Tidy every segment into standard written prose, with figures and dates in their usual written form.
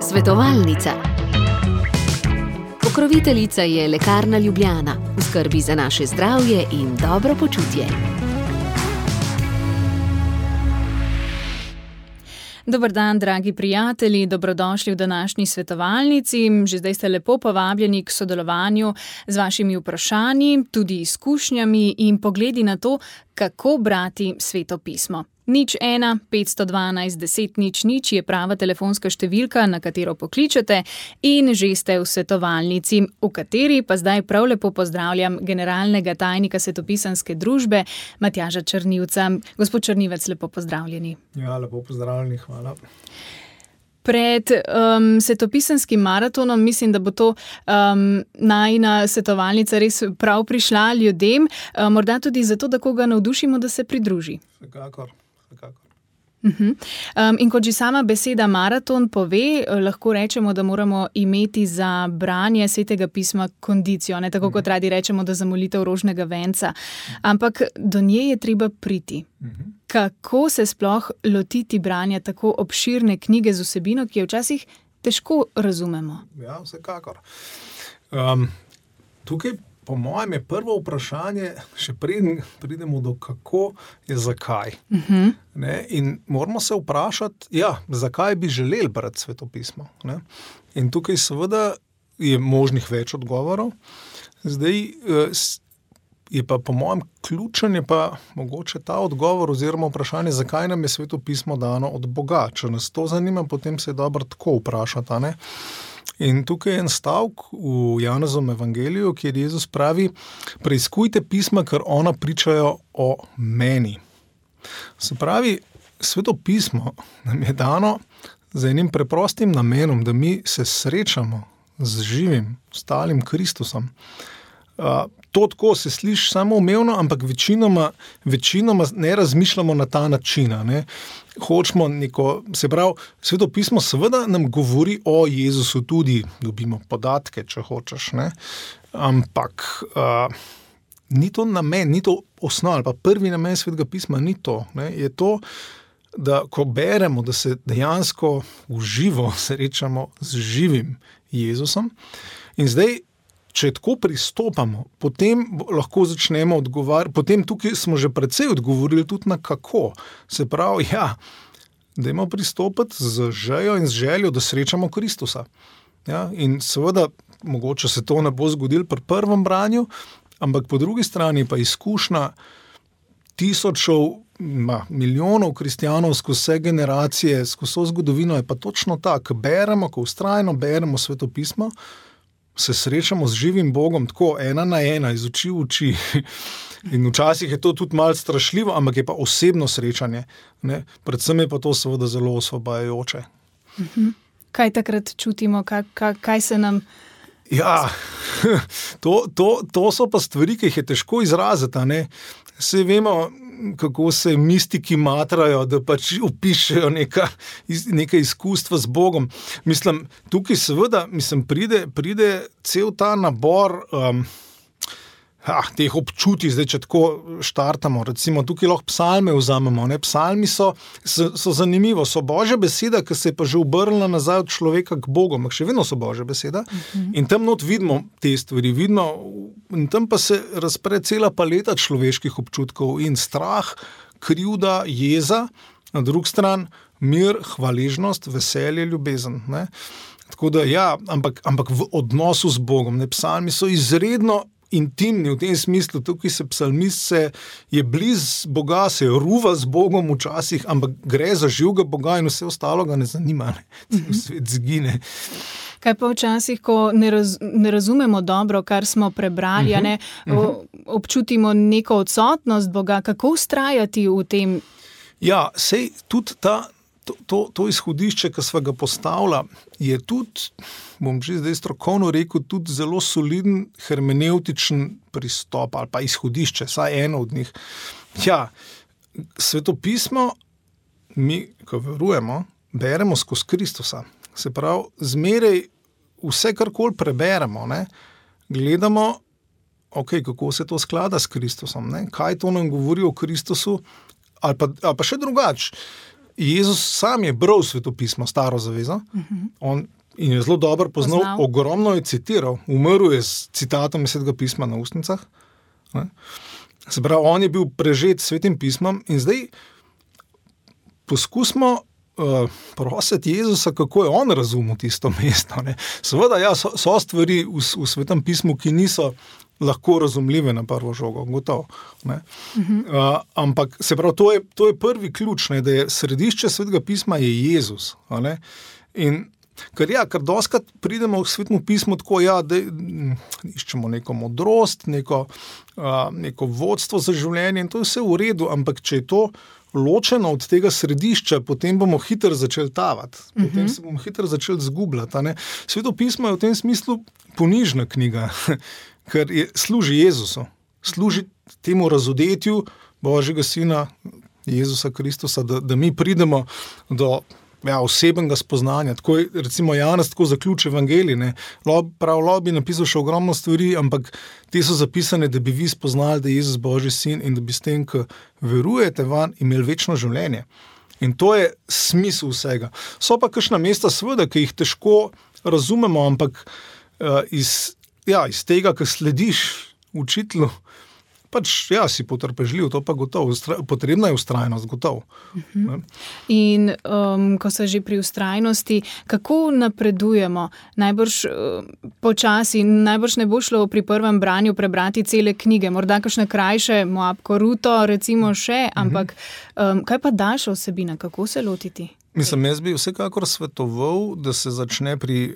Svetovalnica. Pokroviteljica je Lekarna Ljubljana, v skrbi za naše zdravje in dobro počutje. Dober dan, dragi prijatelji, dobrodošli v današnji svetovalnici. Že zdaj ste lepo povabljeni k sodelovanju z vašimi vprašanji, tudi izkušnjami in pogledi na to, kako brati Sveto pismo. 01 512 10 00 je prava telefonska številka, na katero pokličete, in že ste v svetovalnici, v kateri pa zdaj prav lepo pozdravljam generalnega tajnika Svetopisanske družbe Matjaža Črnivca. Gospod Črnivec, lepo pozdravljeni. Ja, lepo pozdravljeni, hvala. Pred svetopisanskim maratonom mislim, da bo to najina svetovalnica res prav prišla ljudem, morda tudi zato, da koga navdušimo, da se pridruži. Vsekakor. In kot že sama beseda maraton pove, lahko rečemo, da moramo imeti za branje Svetega pisma kondicijo, ne tako kot radi rečemo, da za molitev rožnega venca. Ampak do nje je treba priti. Kako se sploh lotiti branja tako obširne knjige z vsebino, ki jo včasih težko razumemo? Ja, vsekakor. Tukaj po mojem je prvo vprašanje, še preden pridemo do kako, je zakaj. Ne? In moramo se vprašati, zakaj bi želeli brati Sveto pismo. Ne? In tukaj seveda je možnih več odgovorov. Zdaj je pa po mojem ključen je pa mogoče ta odgovor oziroma vprašanje, zakaj nam je Sveto pismo dano od Boga. Če nas to zanima, potem se je dobro tako vprašati, ne? In tukaj je en stavek v Janezovem evangeliju, kjer Jezus pravi: preiskujte pisma, ker ona pričajo o meni. Se pravi, Sveto pismo nam je dano z enim preprostim namenom, da mi se srečamo z živim, stalim Kristusom. To tako se sliši samoumevno, ampak večinoma ne razmišljamo na ta način. Ne? Hočemo neko, se pravi, Sveto pismo seveda nam govori o Jezusu, tudi dobimo podatke, če hočeš, ne? Ampak ni to namen, ni to osnova, ali pa prvi namen Svetega pisma ni to. Ne? Je to, da ko beremo, da se dejansko v živo srečamo z živim Jezusom. In zdaj, če tako pristopamo, potem lahko začnemo odgovarjati, potem tukaj smo že precej odgovorili tudi na kako. Se pravi, dajmo pristopiti z željo in z željo, da srečamo Kristusa. Ja, in seveda, mogoče se to ne bo zgodilo pri prvem branju, ampak po drugi strani pa izkušnja tisočev, milijonov kristjanov skozi vse generacije, skozi vso zgodovino je pa točno tako. Beremo, ko vztrajno beremo Sveto pismo, se srečamo z živim Bogom tako ena na ena, iz oči v oči. In včasih je to tudi malo strašljivo, ampak je pa osebno srečanje. Ne? Predvsem je pa to seveda zelo osvobajajoče. Kaj takrat čutimo? Kaj se nam... Ja, to so pa stvari, ki jih je težko izraziti. Ne? Saj vemo, kako se mistiki matrajo, da pač opišejo neka izkustva z Bogom. Mislim, tukaj seveda pride cel ta nabor teh občutij, zdaj če tako štartamo. Recimo, tukaj lahko psalme vzamemo. Ne? Psalmi so zanimivo, so Božja beseda, ki se je pa že obrnila nazaj od človeka k Bogu, ampak še vedno so Božja beseda. In tam not vidimo te stvari, in tam pa se razpre cela paleta človeških občutkov in strah, krivda, jeza, na drugi strani mir, hvaležnost, veselje, ljubezen. Ne? Tako da ampak v odnosu z Bogom. Ne? Psalmi so izredno intimni v tem smislu, tukaj se psalmist je bliz Boga, se ruva z Bogom včasih, ampak gre za živega Boga in vse ostalo ga ne zanima, ne? Svet zgine. Kaj pa včasih, ko ne razumemo dobro, kar smo prebrali, občutimo neko odsotnost Boga, kako vztrajati v tem? Ja, sej tudi to izhodišče, ki sva ga postavila, je tudi, bom že zdaj strokovno rekel, tudi zelo soliden hermenevtičen pristop ali pa izhodišče, saj eno od njih. Ja, Sveto pismo mi, ko verujemo, beremo skozi Kristusa. Se pravi, zmeraj vse, karkoli preberemo, ne, gledamo, kako se to sklada s Kristusom, ne, kaj to nam govori o Kristusu, ali pa še drugače. Jezus sam je bral svetopismo, Staro zavezo, in je zelo dobro poznal, ogromno je citiral, umrl je s citatom Svetega pisma na ustnicah. Ne? Se pravi, on je bil prežet s Svetim pismom in zdaj poskusimo prositi Jezusa, kako je on razumel tisto mesto. Ne? Seveda, ja, so stvari v Svetem pismu, ki niso lahko razumljive na prvo žogo, gotovo. Ne? Ampak se pravi, to je prvi ključ, ne? Da je središče Svetega pisma je Jezus. Ne? In ker doskrat pridemo v Svetem pismu tako, da iščemo neko modrost, neko vodstvo za življenje in to je vse v redu, ampak če je to ločeno od tega središča, potem bomo hitro začeli tavati, potem se bomo hitro začeli zgubljati. Sveto pismo je v tem smislu ponižna knjiga, ker služi Jezusu, služi temu razodetju Božjega Sina Jezusa Kristusa, da mi pridemo do osebnega spoznanja. Tako je, recimo, Janez tako zaključi evangelij. Prav bi napisal še ogromno stvari, ampak te so zapisane, da bi vi spoznali, da je Jezus Božji sin in da bi s tem, ko verujete van, imeli večno življenje. In to je smisel vsega. So pa kakšna mesta, seveda, ki jih težko razumemo, ampak iz tega, ko slediš učitelju, si potrpežljiv, to pa gotovo. Potrebna je vztrajnost, gotovo. In ko so že pri vztrajnosti, kako napredujemo? Najbrž počasi, najbrž ne bo šlo pri prvem branju prebrati cele knjige, morda kakšne krajše, Moab Koruto, recimo še, ampak kaj pa daljša vsebina, kako se lotiti? Mislim, jaz bi vsekakor svetoval, da se začne pri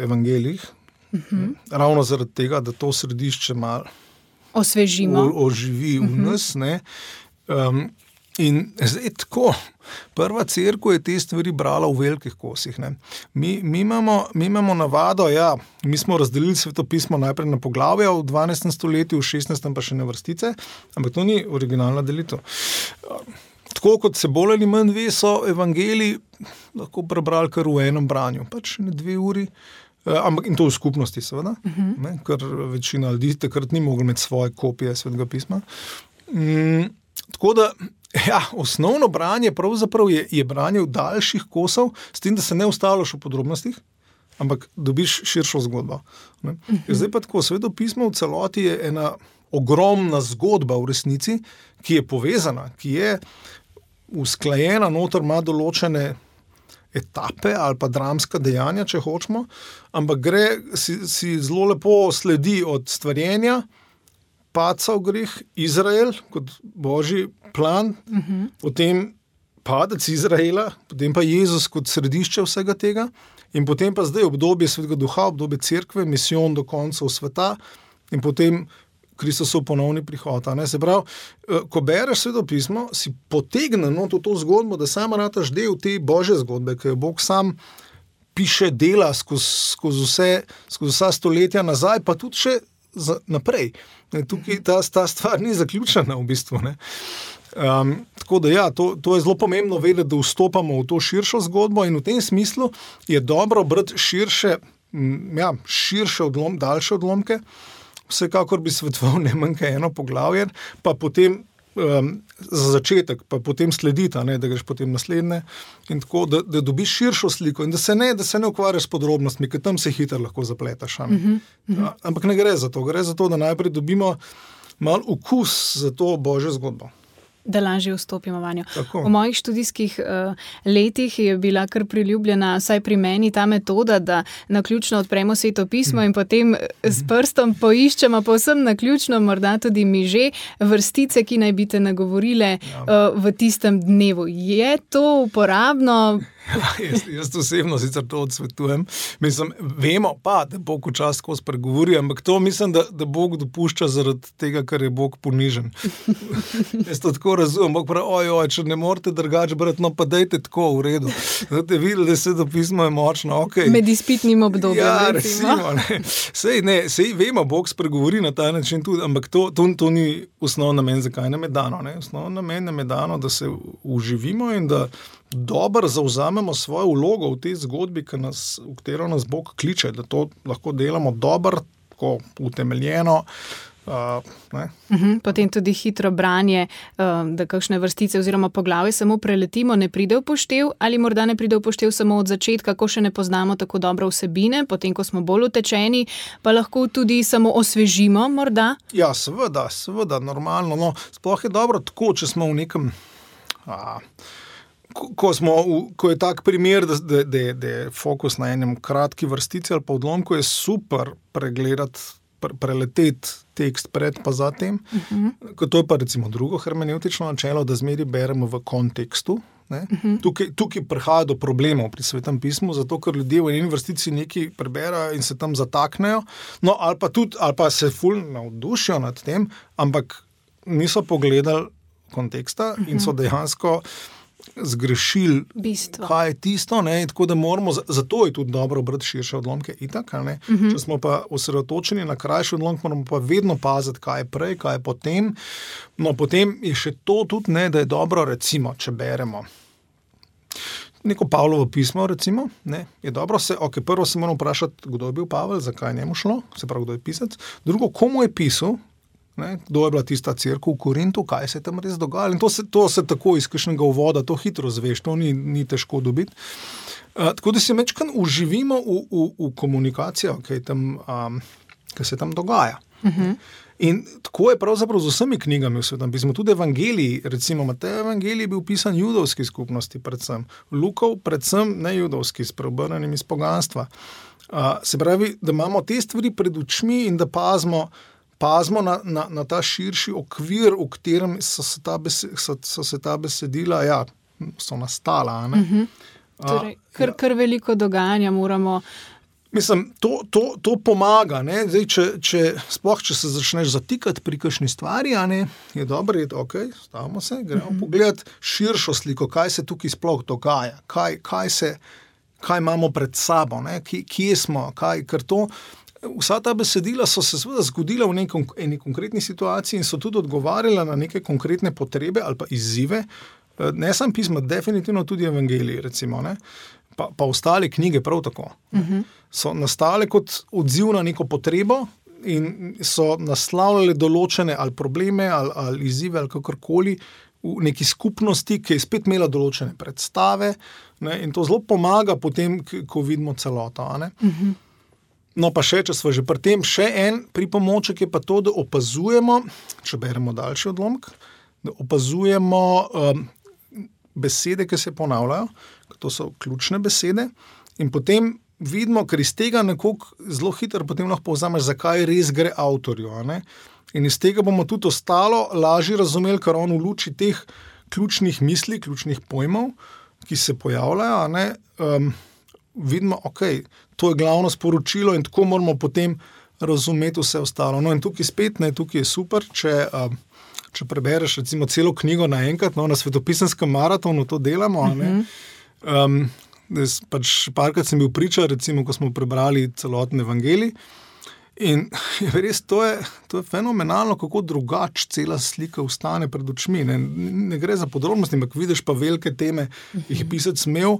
evangeljih, ravno zaradi tega, da to središče malo osvežimo. Oživi v nas. In zdaj tako, prva cerkev je te stvari brala v velikih kosih. Mi imamo navado, mi smo razdelili svetopismo najprej na poglavja v 12. stoletju, v 16. pa še na vrstice, ampak to ni originalna delitev. Tako kot se bolj ali manj ve, so evangeliji lahko prebrali kar v enem branju, ne 2 uri, ampak in to v skupnosti seveda, ker večina ljudi takrat ni mogla imeti svoje kopije Svetega pisma. Tako da, osnovno branje pravzaprav je branje v daljših kosov, s tem, da se ne ustavljaš v podrobnostih, ampak dobiš širšo zgodbo. Zdaj pa tako, Sveto pismo v celoti je ena ogromna zgodba v resnici, ki je povezana, ki je usklajena, noter ima določene etape ali pa dramska dejanja, če hočemo, ampak si zelo lepo sledi od stvarjenja, padca v greh, Izrael kot Božji plan, potem padec Izraela, potem pa Jezus kot središče vsega tega in potem pa zdaj obdobje Svetega Duha, obdobje cerkve, misijon do koncev sveta in potem Kristusov ponovni prihod. Se pravi, ko bereš Sveto pismo, si potegne to zgodbo, da sama rataš del te Božje zgodbe, ki jo Bog sam piše, dela skozi vsa stoletja nazaj, pa tudi še naprej. Tukaj ta stvar ni zaključena v bistvu. Tako da to je zelo pomembno vedeti, da vstopamo v to širšo zgodbo in v tem smislu je dobro brati širše daljše odlomke. Vsekakor bi svetoval ne manj kaj eno poglavje, pa potem za začetek, pa potem sledita, da greš potem naslednje in tako, da dobiš širšo sliko in da se ne ukvarjaš s podrobnostmi, ker tam se hitro lahko zapletaš. Ampak ne gre za to, da najprej dobimo malo okus za to Božjo zgodbo. Da lažje vstopimo vanjo. Tako. V mojih študijskih letih je bila kar priljubljena, vsaj pri meni, ta metoda, da naključno odpremo Sveto pismo in potem s prstom poiščemo povsem naključno, morda tudi mi že, vrstice, ki naj bi te nagovorile v tistem dnevu. Je to uporabno? Jaz osebno sicer to odsvetujem. Mislim, vemo pa, da Bog včasih tako spregovori, ampak to mislim, da Bog dopušča zaradi tega, ker je Bog ponižen. Jaz to tako razumem. Bog pravi, če ne morete drugače brati, pa dajte tako v redu. Zdaj videli, da Sveto pismo je močno. Okay. Med izpitnim obdobjem. Recimo. Sej vemo, Bog spregovori na ta način tudi, ampak to ni osnovni namen, zakaj nam je dano. Osnovni namen nam je dano, da se uživimo in da dobro zavzamemo svojo vlogo v tej zgodbi, v katero nas Bog kliče, da to lahko delamo dobro, tako utemeljeno, Potem tudi hitro branje, da kakšne vrstice oziroma poglavje samo preletimo, ne pride v poštev ali morda ne pride v poštev samo od začetka, ko še ne poznamo tako dobro vsebine, potem ko smo bolj utečeni, pa lahko tudi samo osvežimo morda? Ja, seveda, normalno. No, sploh je dobro tako, če smo v nekem... Ko je tak primer, da je fokus na enem kratki vrstici ali pa odlomku, je super pregledati, preleteti tekst pred pa za tem. To je pa recimo drugo hermeneutično načelo, da zmeri beremo v kontekstu. Tukaj prihaja do problemov pri Svetem pismu, zato ker ljudje v eni vrstici nekaj preberajo in se tam zataknejo, no ali pa se ful navdušijo nad tem, ampak niso pogledali konteksta in so dejansko zgrešili, bistvo. Kaj je tisto, ne? Tako da moramo, zato je tudi dobro brati širše odlomke itak, ne? Če smo pa osredotočeni na krajši odlomek, moramo pa vedno paziti, kaj je prej, kaj je potem. No, potem je še to tudi, ne, da je dobro, recimo, če beremo neko Pavlovo pismo, recimo, ne, je dobro prvo se moramo vprašati, kdo je bil Pavel, zakaj njemu šlo, se pravi, kdo je pisec, drugo, komu je pisal, ne, kdo je bila tista cerkev v Korintu, kaj se je tam res dogajalo. In to se tako iz kakšnega uvoda, to hitro zveš, to ni težko dobiti. Tako da se večkrat uživimo v komunikacijo, kaj se tam dogaja. In tako je pravzaprav z vsemi knjigami v Svetem pismu. Tudi evangeliji, recimo Matej evangelij je bil pisan judovski skupnosti predvsem, Lukov predvsem nejudovski, s preobrnjenim iz poganstva. Se pravi, da imamo te stvari pred očmi in da pazimo na ta širši okvir, v katerem so se ta besedila, so nastala. Torej, kar veliko dogajanja moramo... Mislim, to pomaga, ne? Zdaj, če se začneš zatikati pri kakšni stvari, je dobro, stavimo se, gremo pogledati širšo sliko, kaj se tukaj sploh dogaja, kaj imamo pred sabo, ne? Kje smo, ker to... Vsa ta besedila so se seveda zgodila v eni konkretni situaciji in so tudi odgovarjala na neke konkretne potrebe ali pa izzive. Ne samo pisma, definitivno tudi evangeliji, recimo, ne? Pa ostale knjige prav tako. So nastale kot odziv na neko potrebo in so naslavljale določene ali probleme ali izzive ali kakorkoli v neki skupnosti, ki je spet imela določene predstave, ne? In to zelo pomaga potem, ko vidimo celoto. No pa če smo že pri tem, še en pripomoček je pa to, da opazujemo, če beremo daljši odlomek, da opazujemo besede, ki se ponavljajo, to so ključne besede in potem vidimo, ker iz tega nekako zelo hitro potem lahko povzameš, zakaj res gre avtorju. In iz tega bomo tudi ostalo lažje razumeli, ker on v luči teh ključnih misli, ključnih pojmov, ki se pojavljajo, vidimo, to je glavno sporočilo in tako moramo potem razumeti vse ostalo. No in tukaj spet, tukaj je super, če prebereš recimo celo knjigo naenkrat, na svetopisenskem maratonu to delamo, parkrat sem bil priča, recimo, ko smo prebrali celoten evangelij in res to je fenomenalno, kako drugače cela slika ostane pred očmi. Ne gre za podrobnosti, ampak vidiš pa velike teme, ki jih je pisec imel,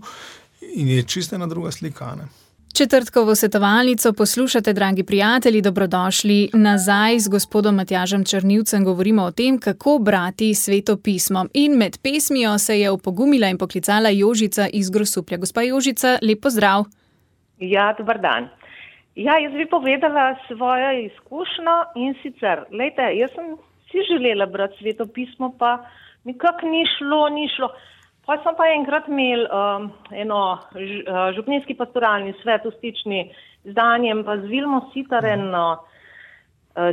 in je čisto ena druga slika. Četrtkovo svetovalnico poslušate, dragi prijatelji, dobrodošli nazaj z gospodom Matjažem Črnivcem. Govorimo o tem, kako brati Sveto pismo. In med pesmijo se je opogumila in poklicala Jožica iz Grosuplja. Gospa Jožica, lep pozdrav. Ja, dober dan. Ja, jaz bi povedala svojo izkušnjo in sicer, glejte, jaz sem si želela brati Sveto pismo, pa nikak ni šlo. Pa sem pa enkrat imel eno župnijski pastoralni svet v Stični z Danjem pa z Vilmo Sitar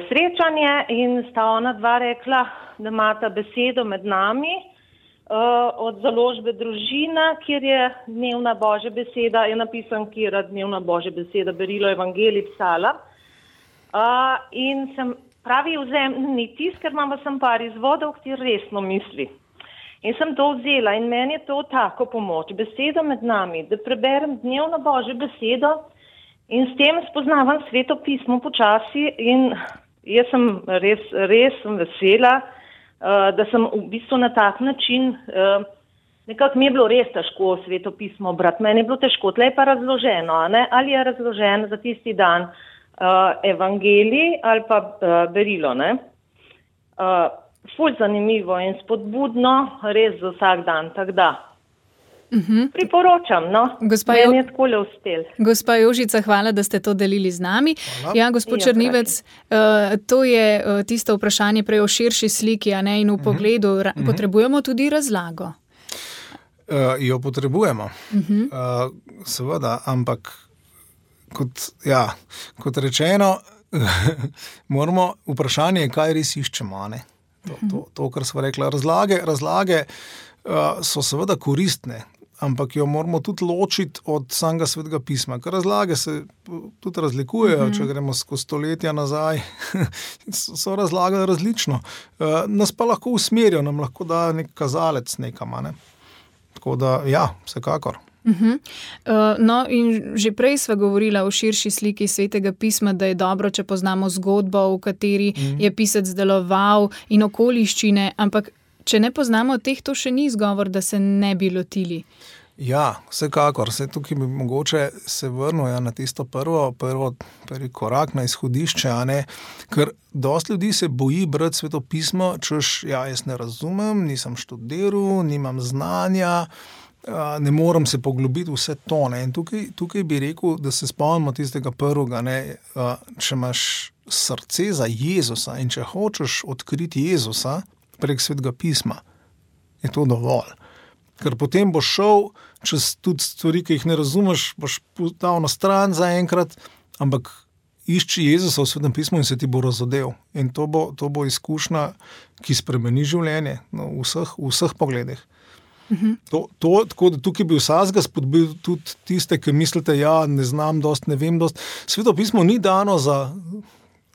srečanje in sta ona dva rekla, da imata besedo med nami od založbe Družina, kjer je dnevna Božja beseda, je napisan, kjer je dnevna Božja beseda, berilo evangelij psala. In sem pravi vzemni tisk, ker imam pa sem par izvodov, ki resno misli. In sem to vzela in meni je to tako pomoč. Beseda med nami, da preberem dnevno Božjo besedo in s tem spoznavam Sveto pismo počasi in jaz sem res sem vesela, da sem v bistvu na tak način, nekako mi je bilo res težko Sveto pismo brati. Meni je bilo težko, tle je pa razloženo, ali je razloženo za tisti dan, evangelij ali pa berilo, ne. Ful zanimivo in spodbudno, res za vsak dan, tako da. Priporočam, no. Meni je takole uspel. Gospa Jožica, hvala, da ste to delili z nami. Hvala. Ja, gospod Črnivec, to je tisto vprašanje prej o širši sliki, a ne, in v pogledu. Potrebujemo tudi razlago. Jo potrebujemo. Seveda, ampak kot rečeno, moramo vprašanje, kaj res iščemo, a ne. To, kar smo rekli. Razlage so seveda koristne, ampak jo moramo tudi ločiti od samega Svetega pisma, ker razlage se tudi razlikujejo, če gremo skozi stoletja nazaj, so razlagali različno. Nas pa lahko usmerijo, nam lahko da nek kazalec nekam, ne. Tako da, ja, vsekakor. No, in že prej sva govorila o širši sliki Svetega pisma, da je dobro, če poznamo zgodbo, v kateri je pisec deloval in okoliščine, ampak če ne poznamo teh, to še ni izgovor, da se ne bi lotili. Ja, vsekakor. Tukaj bi mogoče se vrnil na tisto prvi korak na izhodišče, a ne? Ker dosti ljudi se boji brati Sveto pismo, češ, jaz ne razumem, nisem študiral, nimam znanja, ne morem se poglobiti vse to, ne? In tukaj bi rekel, da se spomnimo tistega prvega, ne? Če imaš srce za Jezusa in če hočeš odkriti Jezusa prek Svetega pisma, je to dovolj. Ker potem boš šel čez tudi stvari, ki jih ne razumeš, boš dal na stran zaenkrat, ampak išči Jezusa v Svetem pismu in se ti bo razodel. In to bo izkušnja, ki spremeni življenje, no, v vseh pogledih. Tako da tukaj bi vsakega spodbil tudi tiste, ki mislite, ne znam dost, ne vem dost. Sveto pismo ni dano za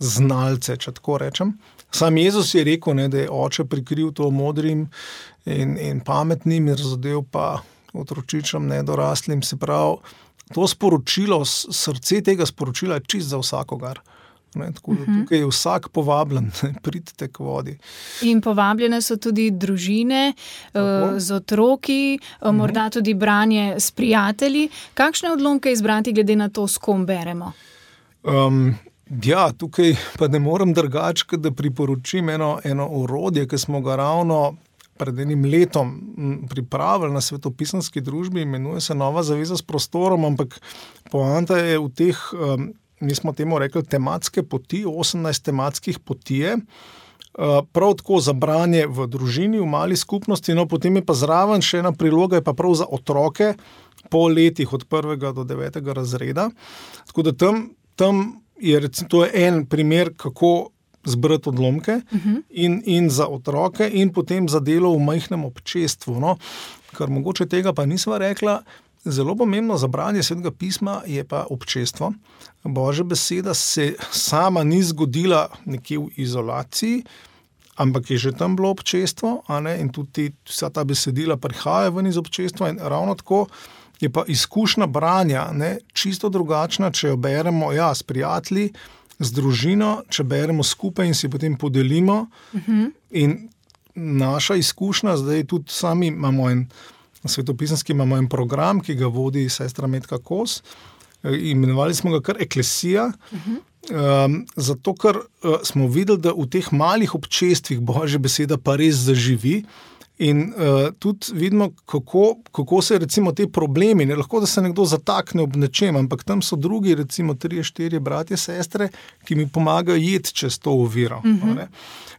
znalce, če tako rečem. Sam Jezus je rekel, ne, da je oče prikril to modrim in pametnim in razodel pa otročičem nedoraslim. Se pravi, to sporočilo, srce tega sporočila je čist za vsakogar. Ne, tako da tukaj je vsak povabljen, pridite k vodi. In povabljene so tudi družine z otroki, morda tudi branje s prijatelji. Kakšne odlomke izbrati glede na to, s kom beremo? Ja, tukaj pa ne morem drugače, da priporočim eno orodje, ki smo ga ravno pred enim letom pripravili na Svetopisanski družbi, imenuje se Nova zaveza s prostorom, ampak poanta je v teh, mi smo temu rekli, tematske poti, 18 tematskih potije, prav tako za branje v družini, v mali skupnosti, no potem je pa zraven še ena priloga, je pa prav za otroke po letih od 1. do 9. razreda. Tako da tam to je en primer, kako zbrati odlomke in za otroke in potem za delo v majhnem občestvu. No, kar mogoče tega pa nisva rekla, zelo pomembno za branje Svetega pisma je pa občestvo. Božja beseda se sama ni zgodila nekje v izolaciji, ampak je že tam bilo občestvo, a ne? In tudi vsa ta besedila prihaja ven iz občestva in ravno tako je pa izkušnja branja, ne, čisto drugačna, če jo beremo s prijatelji, z družino, če beremo skupaj in si potem podelimo. In naša izkušnja, zdaj tudi sami imamo svetopisanski imamo en program, ki ga vodi sestra Metka Kos, imenovali smo ga kar Eklesija, zato ker smo videli, da v teh malih občestvih Božja beseda pa res zaživi. In tudi vidimo, kako se recimo te problemi, ne lahko, da se nekdo zatakne ob nečem, ampak tam so drugi, recimo 3-4 bratje, sestre, ki mi pomagajo jeti čez to oviro.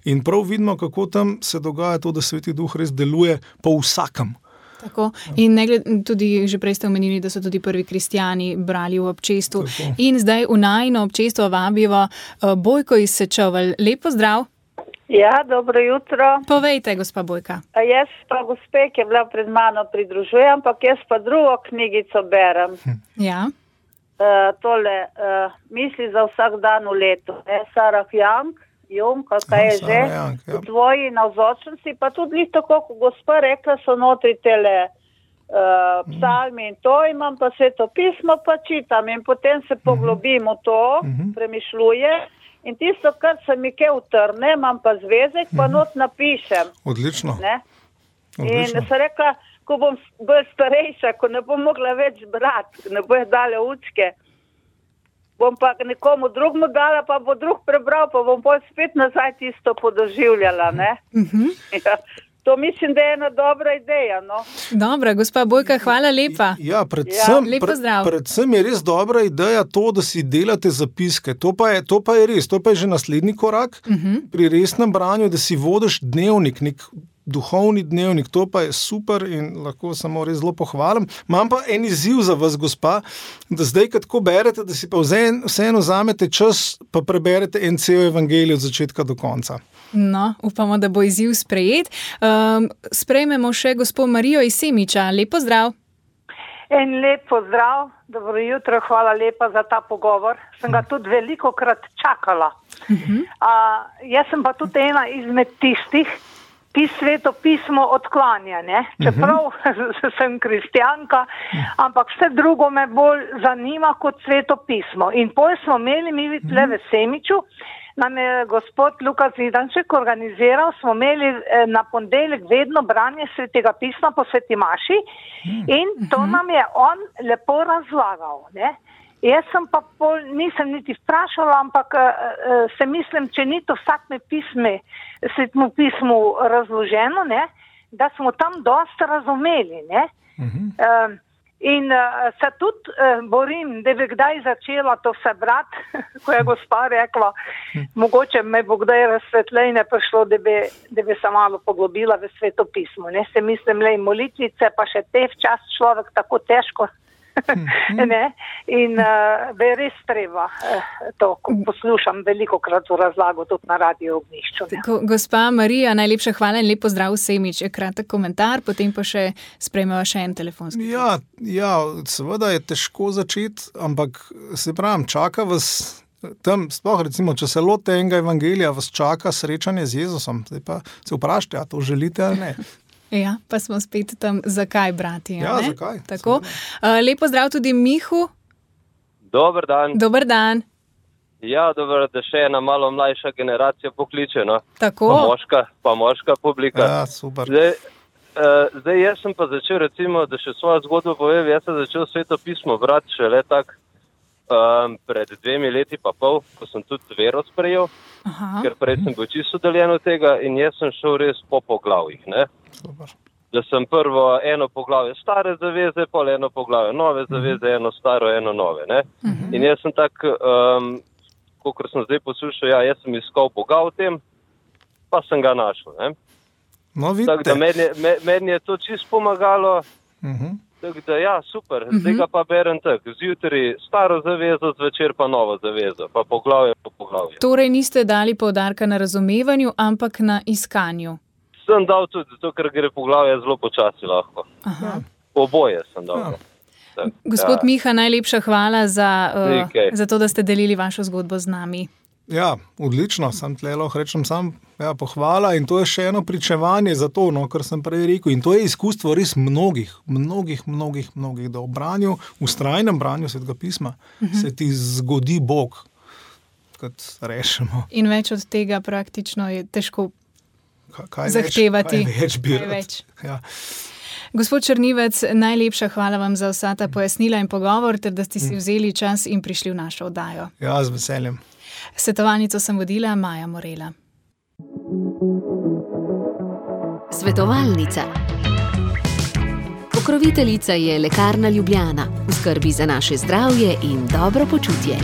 In prav vidimo, kako tam se dogaja to, da Sveti Duh res deluje po vsakem. Tako. In tudi že prej ste omenili, da so tudi prvi kristjani brali v občestvu. Tako. In zdaj v najino občestvo vabijo Bojko iz Sečovelj. Lep pozdrav. Ja, dobro jutro. Povejte, gospa Bojka. Jaz pa gospe, ki je bila pred mano, pridružujem, ampak jaz pa drugo knjigico berem. Ja. Tole, misli za vsak dan v letu. Sarah Jung, kakaj je že, v tvoji navzočnosti, pa tudi tako, kot gospa rekla, so notri tele psalmi in to, imam pa Sveto pismo, pa čitam in potem se poglobim v to, premišljujem. In tisto, kar se mi kaj utrne, imam pa zvezek, pa not napišem. Odlično. In sem rekla, ko bom bolj starejša, ko ne bom mogla več brati, ne bojo dale učke, bom pa nekomu drugmu dala, pa bo drug prebral, pa bom pa spet nazaj tisto podoživljala, ne? Ja. To mislim, da je ena dobra ideja, no. Dobra, gospa Bojka, hvala lepa. Ja, predvsem je res dobra ideja to, da si delate zapiske. To pa je res, to pa je že naslednji korak pri resnem branju, da si vodiš dnevnik, nek duhovni dnevnik, to pa je super in lahko samo res zelo pohvalim. Imam pa en izziv za vas, gospa, da zdaj, kad tako berete, da si pa vseeno vzamete čas, pa preberete en cel evangelij od začetka do konca. No, upamo, da bo izziv sprejet. Sprejmemo še gospo Marijo iz Semiča. Lep pozdrav. En lep pozdrav, dobro jutro, hvala lepa za ta pogovor. Sem ga tudi velikokrat čakala. Jaz sem pa tudi ena izmed tistih, ki Sveto pismo odklanja, ne? Čeprav sem kristjanka, ampak vse drugo me bolj zanima kot Sveto pismo. In potem smo imeli mi tle v Semiču, nam je gospod Luka Zidanček organiziral, smo imeli na ponedeljek vedno branje Svetega pisma po Sveti maši in to nam je on lepo razlagal, ne? Jaz sem pa nisem niti vprašala, ampak se mislim, če ni to vsakme Svetemu pismu razloženo, ne, da smo tam dosta razumeli, ne. In se tudi borim, da bi kdaj začela to vse brati, ko je gospa rekla, mogoče me bo kdaj razsvetljenje prišlo, da bi se malo poglobila v Sveto pismo. Ne? Se mislim, le molitvice, pa še te včas človek tako težko. Ne? In bi res treba to, ko poslušam velikokrat v razlago tudi na Radio Ognjišču. Gospa Marija, najlepša hvala in lep pozdrav v Semič. Kratek komentar, potem pa še sprejmeva še en telefonski. Ja, seveda je težko začeti, ampak se pravim, čaka vas tam, sploh recimo, če se lote enega evangelija, vas čaka srečanje z Jezusom. Zdaj pa se vprašajte, a to želite ali ne. Ja, pa smo spet tam, zakaj brati. Ja, ne? Zakaj? Tako. Lep pozdrav tudi Mihu. Dober dan. Dober dan. Ja, dobro, da še ena malo mlajša generacija pokliče, no. Tako. Pa moška publika. Ja, super. Zdaj jaz sem pa začel, recimo, da še svojo zgodbo povem, jaz sem začel Sveto pismo brati šele tak pred 2 leti pa pol, ko sem tudi vero sprejel, ker prej sem bil čisto udaljen od tega in jaz sem šel res po poglavjih, ne. Super. Da sem prvo eno poglavje stare zaveze, pol eno poglavje nove zaveze, eno staro, eno nove, ne. In jaz sem tak, kakor sem zdaj poslušal, jaz sem iskal Boga v tem, pa sem ga našel, ne. No, vidite. Tako da meni je to čisto pomagalo, tako da ja, super, zdaj ga pa berem tako, zjutraj staro zavezo, zvečer pa novo zavezo, pa poglavje po poglavje. Torej niste dali poudarka na razumevanju, ampak na iskanju. Sem dal tudi, zato ker gre poglavje zelo počasi lahko. Oboje sem dal. Ja. Gospod Miha, najlepša hvala za to, da ste delili vašo zgodbo z nami. Ja, odlično, sem tle lahko rečem sam, ja, pohvala in to je še eno pričevanje za to, no, kar sem prej rekel. In to je izkustvo res mnogih, da v branju, v vztrajnem branju Svetega pisma se ti zgodi Bog, kot rešemo. In več od tega praktično je težko zahtevati. Kaj več. Ja. Gospod Črnivec, najlepša hvala vam za vsa ta pojasnila in pogovor, ter da ste si vzeli čas in prišli v našo oddajo. Ja, z veseljem. Svetovalnico sem vodila Maja Morela. Svetovalnica. Pokroviteljica je Lekarna Ljubljana. V skrbi za naše zdravje in dobro počutje.